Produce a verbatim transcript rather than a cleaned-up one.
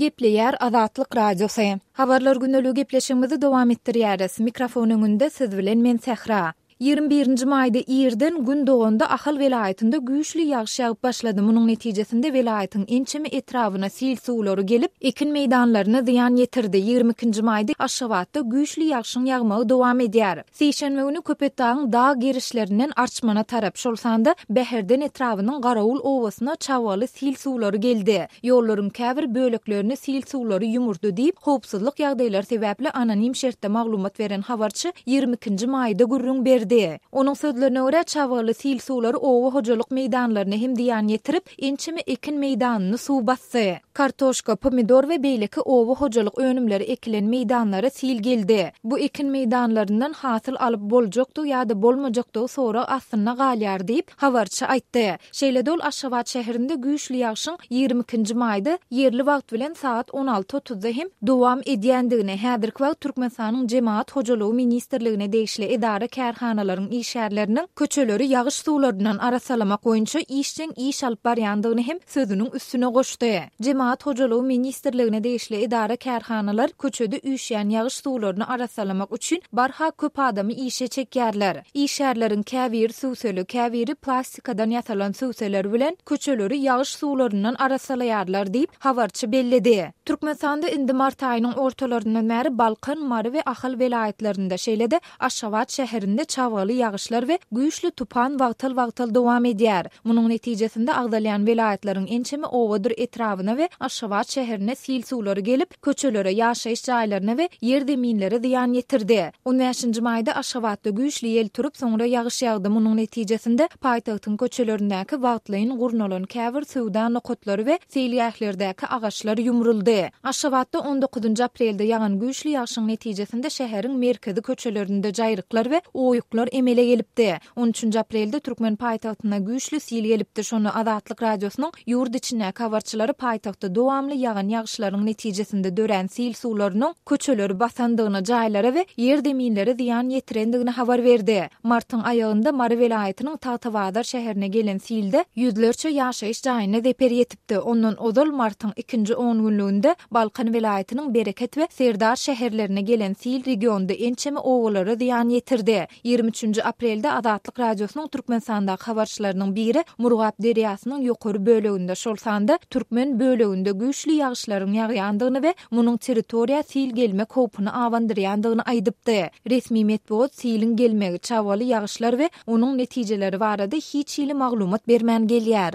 Gepleýär Azatlyk Radiosy. Habarlar gündeligi gepleşigimizi dowam etdirýäris. Mikrofon öňünde siz bilen men Sähra. Ýigrimi birinji maýda irden Gün doganda Ahal welaýatynda güýçli ýagyş ýagyp başlady. Munuň netijesinde welaýatyň ençeme etrabyna sil suwlary gelip, ekin meýdanlaryna zyýan ýetirdi. Ýigrimi ikinji maýda Aşgabatda güýçli ýagşyň ýagmagy dowam edýär. Sişenbe güni Köpetdagyň dag gerişlerinden Arçmana tarap, şol sanda Bäherden etrabynyň Garawul obasyna çabgaly sil suwlary geldi. Ýollaryň käbir böleklerini sil suwlary ýumurdy diýip, howpsuzlyk ýagdaýlary sebäpli anonim şertde maglumat beren habarçy ýigrimi ikinji maýda gürrüň berdi. Onuň sözlerine görä, çabgaly sil suwlary oba hojalyk meýdanlaryna hem zyýan ýetirip, ençeme ekin meýdanyny suw basdy. Kartoşka, pomidor we beýleki oba hojalyk önümleri ekilen meýdanlara sil geldi. Bu ekin meýdanlaryndan hasyl alyp boljakdygy ýa-da bolmajakdygy sorag astynda galýar diýip, habarçy aýtdy. Şeýle-de ol Aşgabat şäherinde güýçli ýagşyň ýigrimi ikinji maýda ýerli wagt bilen sagat on alty otuzda hem dowam edýändigini, häzirki wagt Türkmenistanyň Jemagat hojalygy ministrligine degişli edara-kärhanalaryň işgärleriniň köçeleri ýagyş suwlaryndan arassalamak boýunça işjeň iş alyp barýandygyny hem sözüniň üstüne goşdy. Jemagat hojalygy ministrligine degişli edara-kärhanalar köçede üýşýän ýagyş suwlaryny arassalamak üçin barha köp adamy işe çekýärler. Işgärleriň käbiri süwseli, käbiri plastikadan ýasalan süwseler bilen köçeleri ýagyş suwlaryndan arassalaýarlar diýip, habarçy belledi. Türkmenistanda indi mart aýynyň ortalaryndan bäri Balkan, Mary we Ahal welaýatlarynda, şeýle-de Aşgabat şäherinde çabgaly ýagyşlar we güýçli tupan wagtal-wagtal dowam edýär. Munuň netijesinde agzalýan welaýatlaryň ençeme obadyr etrabyna we Aşgabat şäherine sil suwlary gelip, köçelere, ýaşaýyş jaýlaryna we ýer-zeminlere zyýan ýetirdi. On bäşinji maýda Aşgabatda güýçli ýel turup, soňra ýagyş ýagdy. Munuň netijesinde paýtagtyň köçelerindäki wagtlaýyn gurnalan käbir söwda nokatlary we seýilgählerdäki agaçlar ýumruldy. Aşgabatda on dokuzynjy aprelde ýagan güýçli ýagşyň netijesinde şäheriň merkezi köçelerinde jaýryklar we oýuklar emele gelipdi. On üçünji aprelde türkmen paýtagtyna güýçli sil gelipdi. Şonda Azatlyk Radiosynyň ýurt içindäki habarçylary paýtagtda dowamly ýagan ýagyşlaryň netijesinde dörän sil suwlarynyň köçeleri basandygyny, jaýlara we ýer-zeminlere zyýan ýetirendigini habar berdi. Martyň aýagynda Mary welaýatynyň Tagtabazar şäherine gelen silde ýüzlerçe ýaşaýyş jaýyna zeper ýetipdi. Ondan ozal martyň ikinji on günlüginde Balkan welaýatynyň Bereket we Serdar şäherlerine gelen sil regionda ençeme obalara zyýan ýetirdi. Ýigrimi üçünji aprelde Azatlyk Radiosynyň Türkmenistandaky habarçylarynyň biri Murgap derýasynyň ýokary böleginde, şol sanda türkmen böleginde güýçli ýagyşlaryň ýagýandygyny we munuň territoriýa sil gelmek howpuny abandyrýandygyny aýdypdy. Resmi metbugat siliň gelmegi, çabgaly ýagyşlar we onuň netijeleri barada hiç hili maglumat bermän gelýär.